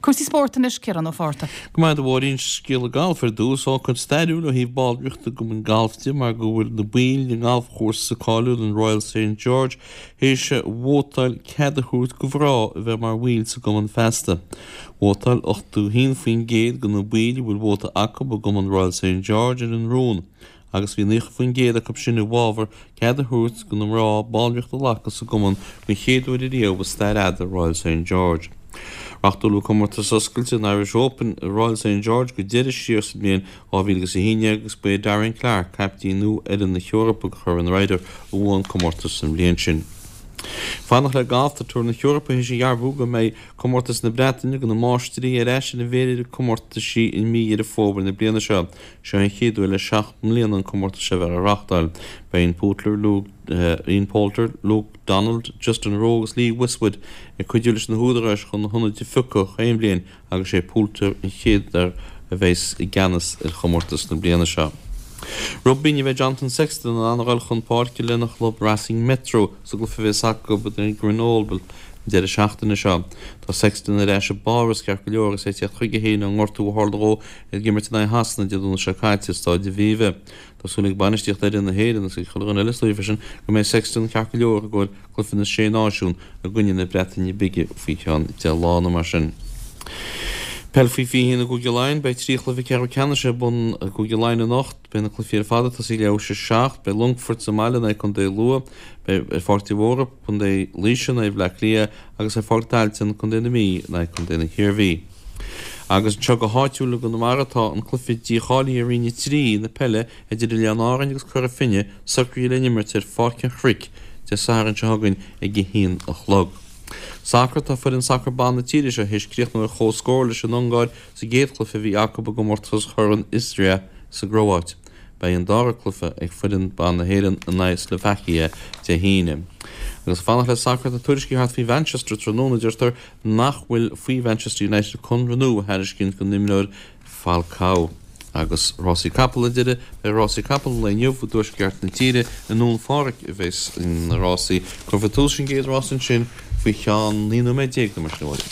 Cúrsaí spóirt anois, Ciarán Ó Fátharta. Go maith a Mháirín, scéala gailf ar dtús, ócáid stairiúil ó thaobh ballraíochta i gcumann gailf de mar go bhfuil na baill den ngalfchúrsa cáiliúil an Royal Saint George théis vótáil cead a thabhairt do mhná a bheith mar bhaill sa gcumann feasta. Vótáil 81% de na baill a bhfuil vóta acu i gcumann Royal Saint George ar an rún agus bhí 90% acu sin i bhfabhar cead a thabhairt do na mná ballraíocht a ghlacadh sa gcumann den chéad uair ariamh i stair fhada Royal Saint George. Reáchtáladh comórtas oscailte an Irish Open i Royal Saint George go deireadh siar sa mbliain 2011 agus ba é Darren Clarke, caiptín nua fhoireann na hEorpa do Chorn Ryder, a bhuaigh an comórtas an bhliain sin. Fanacht le galf, tá Tour na hEorpa théis a dhearbhú go mbeidh comórtas na Breataine do na máistrí ar ais ar an bhféilire comórtaisí i mí Dheireadh Fómhair na bliana seo. Seo an chéad uair le 7 mbliana an comórtas seo a bheith á reáchtáil. Beidh Ian Poulter, Ian Poulter, Luke Donald, Justin Rose agus Lee Westwood ag cuidiú leis na húdaráis chun na hionadaithe a phiocadh chaon bhliain agus sé Poulter an chéad fhear a bheas i gceannas ar chomórtas na bliana seo. Rugbaí, ní bheidh Jonathan Sexton in ann a dhul chun páirce lena chlub Racing Metro sa gcluiche a bheas acu in aghaidh Grenoble an deireadh seachtaine seo. Tá Sexton ar ais i bPáras ceart go leor agus é ag teacht chuige féin ón ngortú a tharla dhó ag imirt in aghaidh Shasana Dé Domhnaigh seo caite i Stáid Aviva. Tá súil ag bainistíocht fhoireann na hÉireann agus ag chuile dhuine eile is dóigh freisin go mbeidh Sexton ceart go leor i gcomhair cluiche na Sé Náisiún i gcoinne na Breataine Bige faoi cheann 10 lá nó mar sin. Peil faoi 21 i gCúige Laighean, Beidh 3 chluiche ceathrú ceannais ar bun i gCúige Laighean anocht. Beidh na cluichí ar fad ag tosaí leathuair tar éis a 7. Beidh Longfort sa mbaile in aghaidh Contae Lú. Beidh ar Pháirc de Mhórdha, Contae Laoise in aghaidh Bhaile Átha Cliath agus ar Pháirc Tailteann, Contae na Mí in aghaidh Contae na hIarmhí. Agus anseo go háitiúil i gConamara tá an cluiche dícháilithe i Roinn 3 na peile idir Oileáin Árainn agus Cora Finne socraithe le n-imirt ar Pháirc an Chnoic Dé Sathairn seo chugainn ag a haon a chlog. Sacar Tá foireann sacair ban na tíre seo théis críochnú ar chomhscór leis an Ungáir sa gcéad chluiche a bhí acu i gcomórtas Chorn Istria sa gCróáit. Beidh an dara cluiche ag foireann ban na hÉireann in aghaidh Slovakia Dé hAoine. Agus ag fanacht le sacar tá tuairiscí thart faoi Mhanchester tráthnóna deirtear nach bhfuil faoi Mhanchester United conradh nua a thairiscint don imreoir Falcao. Agus rásaí capall ar deireadh, beidh rásaí capall an lae inniu i dtuaisceart na tíre, i nDún Phádraig a bheas na rásaí. Cuirfear tús leis an gcéad rás ansin faoi cheann 19 nóiméad nó mar sin.